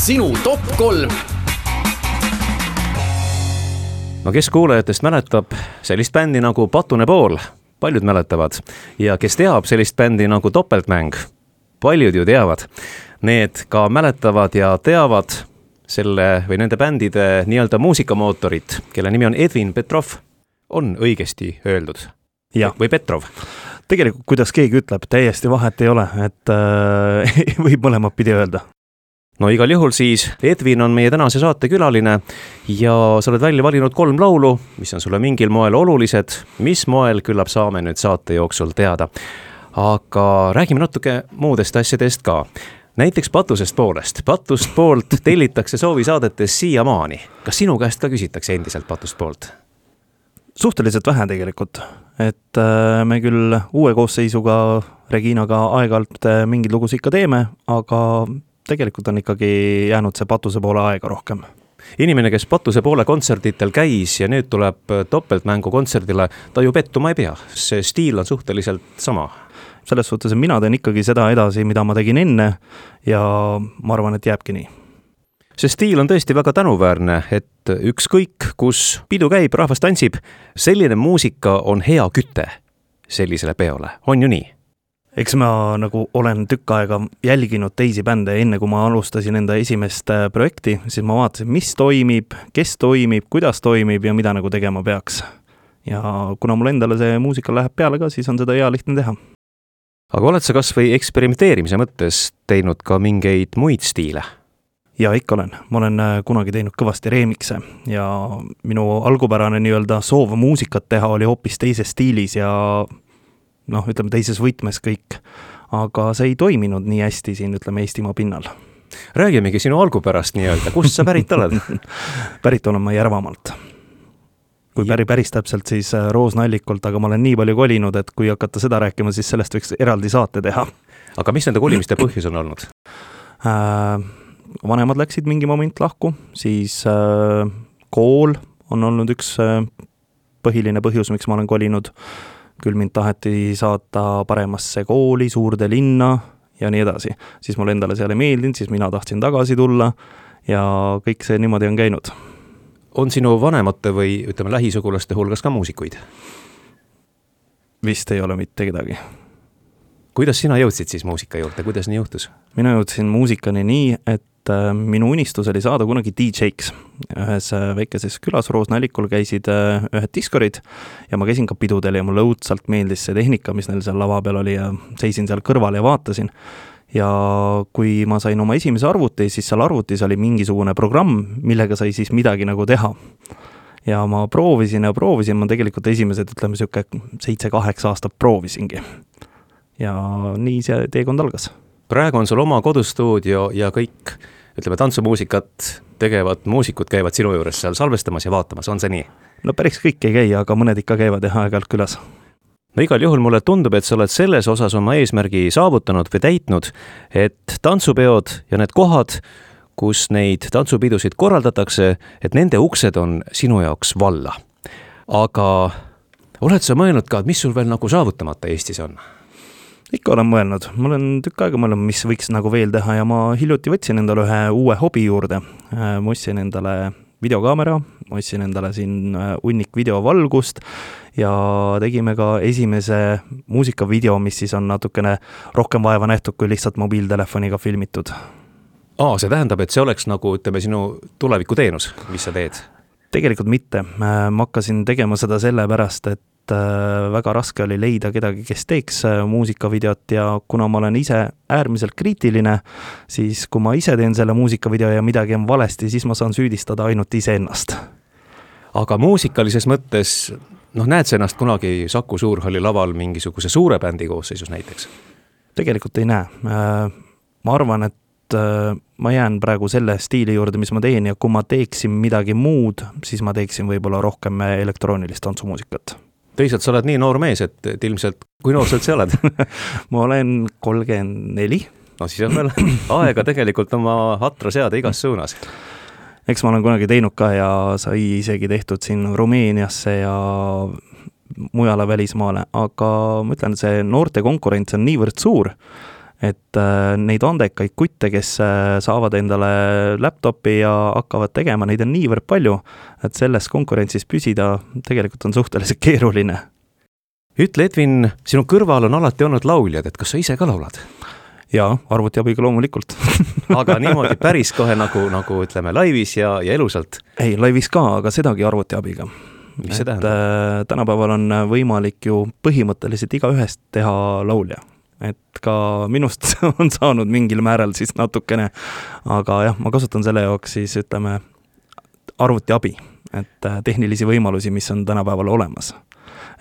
sinu top 3. No kes kuulajatest mäletab sellist bändi nagu Patune Pool? Paljud mäletavad. Ja kes teab sellist bändi nagu Topeltmäng? Paljud ju teavad. Need ka mäletavad ja teavad selle või nende bändide nii-öelda muusikamootorit, kelle nimi on Edvin Petrov. On õigesti öeldud? Ja. Või Petrov? Tegelikult, kuidas keegi ütleb, täiesti vahet ei ole, et võib mõlemad pidi öelda. No igal juhul siis Edvin on meie tänase saate külaline ja sa oled välja valinud 3 laulu, mis on sulle mingil moel olulised. Mis moel küllap saame nüüd saate jooksul teada. Aga räägime natuke muudest asjadest ka. Näiteks Patusest poolest. Patust poolt tellitakse soovisaadetes siiamaani. Kas sinu käest ka küsitakse endiselt Patust poolt? Suhteliselt vähe tegelikult, et me küll uue koosseisuga Reginaga aeg-alt mingid lugus ikka teeme, aga tegelikult on ikkagi jäänud see Patuse poole aega rohkem. Inimene, kes Patuse poole kontserditel käis ja nüüd tuleb Topeltmängu kontserdile, ta ju pettuma ei pea. See stiil on suhteliselt sama. Selles suhtes, mina teen ikkagi seda edasi, mida ma tegin enne ja ma arvan, et jääbki nii. See stiil on tõesti väga tänuväärne, et ükskõik, kus pidu käib, rahvas tantsib, selline muusika on hea küte sellisele peole. On ju nii? Eks ma nagu olen tükk aega jälginud teisi bände, enne kui ma alustasin enda esimest projekti, siis ma vaatasin, mis toimib, kes toimib, kuidas toimib ja mida nagu tegema peaks. Ja kuna mul endale see muusika läheb peale ka, siis on seda hea lihtne teha. Aga oled sa kas või eksperimenteerimise mõttes teinud ka mingeid muid stiile? Ja ikka olen. Ma olen kunagi teinud kõvasti remikse ja minu algupärane nii-öelda soov muusikat teha oli hoopis teises stiilis ja ütleme teises võtmes kõik. Aga see ei toiminud nii hästi siin, ütleme, Eestimaa pinnal. Räägimegi sinu algupärast nii-öelda. Kust sa pärit oled? Pärit olen ma Järvamaalt. Kui päris täpselt, siis Roosnallikult, aga ma olen nii palju kolinud, et kui hakata seda rääkima, siis sellest võiks eraldi saate teha. Aga mis nende kolimiste põhjus on olnud? Vanemad läksid mingi moment lahku, siis kool on olnud üks põhiline põhjus, miks ma olen kolinud. Küll mind taheti saata paremasse kooli, suurde linna ja nii edasi. Siis mul endale seal ei meeldinud, siis mina tahtsin tagasi tulla ja kõik see niimoodi on käinud. On sinu vanemate või ütleme lähisugulaste hulgas ka muusikuid? Vist ei ole mitte kedagi. Kuidas sina jõudsid siis muusika juurde? Kuidas nii juhtus? Mina jõudsin muusikani nii, et minu unistus oli saada kunagi DJ-ks. Ühes väikeses külas Roosnallikul käisid ühed diskorid ja ma käisin ka pidudel ja mulle õudsalt meeldis see tehnika, mis neil seal lava peal oli ja seisin seal kõrval ja vaatasin. Ja kui ma sain oma esimese arvuti, siis seal arvutis oli mingisugune programm, millega sai siis midagi nagu teha. Ja ma proovisin, ma tegelikult esimesed, ütleme, 7-8 aastat proovisingi. Ja nii see teekond algas. Praegu on sul oma kodustuudio ja kõik, ütleme, tantsumuusikat tegevad muusikud käivad sinu juures seal salvestamas ja vaatamas, on see nii? No päris kõik ei käi, aga mõned ikka käivad ja aeg-ajalt külas. No igal juhul mulle tundub, et sa oled selles osas oma eesmärgi saavutanud või täitnud, et tantsupeod ja need kohad, kus neid tantsupidusid korraldatakse, et nende uksed on sinu jaoks valla. Aga oled sa mõelnud ka, et mis sul veel nagu saavutamata Eestis on? Ikka olen mõelnud. Ma olen tükk aega mõelnud, mis võiks nagu veel teha ja ma hiljuti võtsin endale ühe uue hobi juurde. Ma ostsin endale videokaamera, ma ostsin endale siin hunnik videovalgust ja tegime ka esimese muusikavideo, mis siis on natukene rohkem vaeva nähtud kui lihtsalt mobiiltelefoniga filmitud. See tähendab, et see oleks nagu, ütleme, sinu tulevikuteenus, mis sa teed? Tegelikult mitte. Ma hakkasin tegema seda sellepärast, et väga raske oli leida kedagi, kes teeks muusikavideot ja kuna ma olen ise äärmiselt kriitiline, siis kui ma ise teen selle muusikavideo ja midagi on valesti, siis ma saan süüdistada ainult ise ennast. Aga muusikalises mõttes, näed sa ennast kunagi Saku Suurhalli laval mingisuguse suure bändi koosseisus näiteks? Tegelikult ei näe. Ma arvan, et ma jään praegu selle stiili juurde, mis ma teen ja kui ma teeksin midagi muud, siis ma teeksin võib-olla rohkem elektroonilist tantsumuusikat. Teisalt sa oled nii noor mees, et ilmselt, kui noor sa üldse oled? Ma olen 34. No siis on veel aega tegelikult oma hatra seada igas suunas. Eks ma olen kunagi teinud ka ja sai isegi tehtud siin Rumeeniasse ja mujale välismaale, aga ma ütlen, see noorte konkurents on niivõrd suur, et neid andekaid kutte, kes saavad endale laptopi ja hakkavad tegema, neid on niivõrd palju, et selles konkurentsis püsida tegelikult on suhteliselt keeruline. Ütle, Edvin, sinu kõrval on alati olnud lauljad, et kas sa ise ka laulad? Jaa, arvutiabiga loomulikult. Aga niimoodi päris kohe nagu ütleme laivis ja elusalt? Ei, laivis ka, aga sedagi arvutiabiga. Mis see tähendab? Tänapäeval on võimalik ju põhimõtteliselt igaühest teha laulja. Et ka minust on saanud mingil määral siis natukene, aga jah, ma kasutan selle jaoks siis ütleme arvutiabi, et tehnilisi võimalusi, mis on tänapäeval olemas.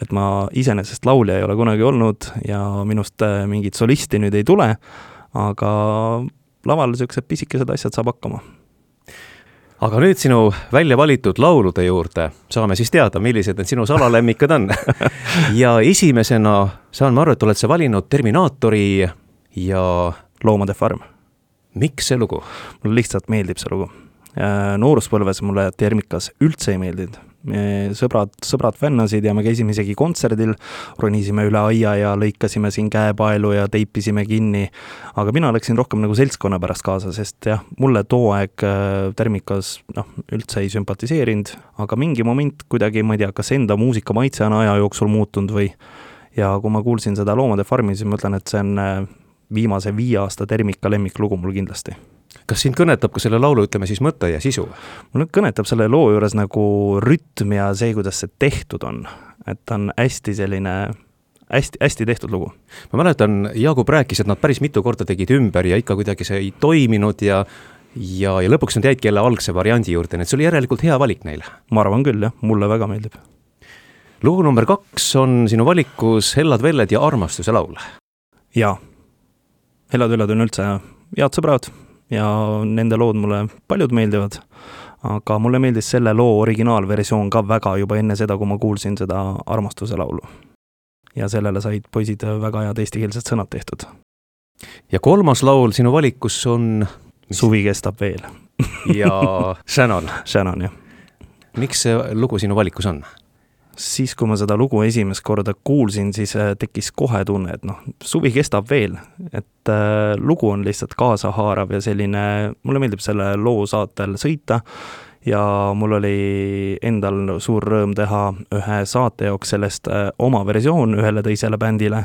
Et ma iseenesest laulja ei ole kunagi olnud ja minust mingit solisti nüüd ei tule, aga laval sellised pisikesed asjad saab hakkama. Aga nüüd sinu välja valitud laulude juurde saame siis teada, millised need sinu salalemmikud on. Ja esimesena saan ma aru, et oled sa valinud Terminaatori ja Loomade farm. Miks see lugu? Mulle lihtsalt meeldib see lugu. Nooruspõlves mulle Termikas üldse ei meeldinud. Sõbrad fännasid ja me käisime isegi kontserdil, ronisime üle aia ja lõikasime siin käepaelu ja teipisime kinni, aga mina läksin rohkem nagu seltskonna pärast kaasa, sest jah, mulle too aeg Termikas üldse ei sümpatiseerinud, aga mingi moment kuidagi, ma ei tea, kas enda muusika maitse on aja jooksul muutunud või, ja kui ma kuulsin seda Loomade farmi, siis ma ütlen, et see on viimase 5 aasta Termika lemmiklugu mul kindlasti. Kas sind kõnetab ka selle laulu, ütleme siis mõtte ja sisu? Mul kõnetab selle loo juures nagu rütm ja see, kuidas see tehtud on. Et on hästi selline, hästi tehtud lugu. Ma mäletan, Jaagup rääkis, et nad päris mitu korda tegid ümber ja ikka kuidagi see ei toiminud ja lõpuks nad jäidki jälle algse variandi juurde, nii et see oli järelikult hea valik neile. Ma arvan küll, jah, mulle väga meeldib. Lugu number 2 on sinu valikus Hellad velled ja armastuse laul. Jaa, Hellad velled on üldse head sõbrad ja nende lood mulle paljud meeldivad, aga mulle meeldis selle loo originaalversioon ka väga juba enne seda, kui ma kuulsin seda armastuse laulu. Ja sellele said poisid väga head eestikeelsed sõnad tehtud. Ja 3. laul sinu valikus on... Suvi kestab veel. Ja Shannon. Shannon, jah. Miks see lugu sinu valikus on? Siis, kui ma seda lugu esimest korda kuulsin, siis tekkis kohe tunne, et suvi kestab veel, et lugu on lihtsalt kaasahaarav ja selline, mulle meeldib selle loo saatel sõita ja mul oli endal suur rõõm teha ühe saate jaoks sellest oma versioon ühele teisele bändile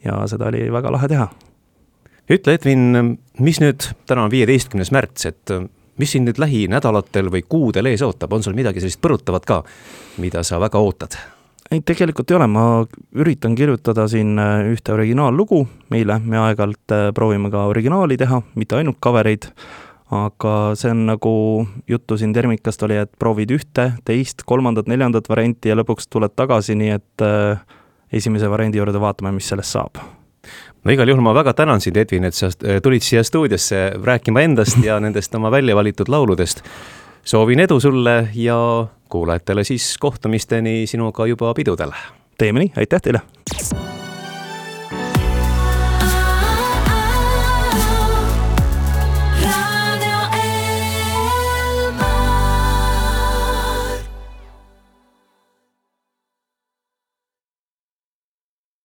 ja seda oli väga lahe teha. Ütle, Edvin, mis nüüd, täna on 15. märts, et mis siin nüüd lähinädalatel või kuudel ees ootab? On sul midagi sellist põrutavat ka, mida sa väga ootad? Ei, tegelikult ei ole. Ma üritan kirjutada siin ühte originaallugu meile. Me aeg-ajalt proovime ka originaali teha, mitte ainult covereid, aga see on nagu juttu siin Termikast oli, et proovid 1, 2, 3, 4 varianti ja lõpuks tuled tagasi, nii et esimese variandi juurde vaatame, mis sellest saab. No igal juhul ma väga tänan sind, Edvin, et sa tulid siia stuudiosse rääkima endast ja nendest oma välja valitud lauludest. Soovin edu sulle ja kuulajatele siis kohtumisteni sinuga juba pidudel. Teeme nii, aitäh teile!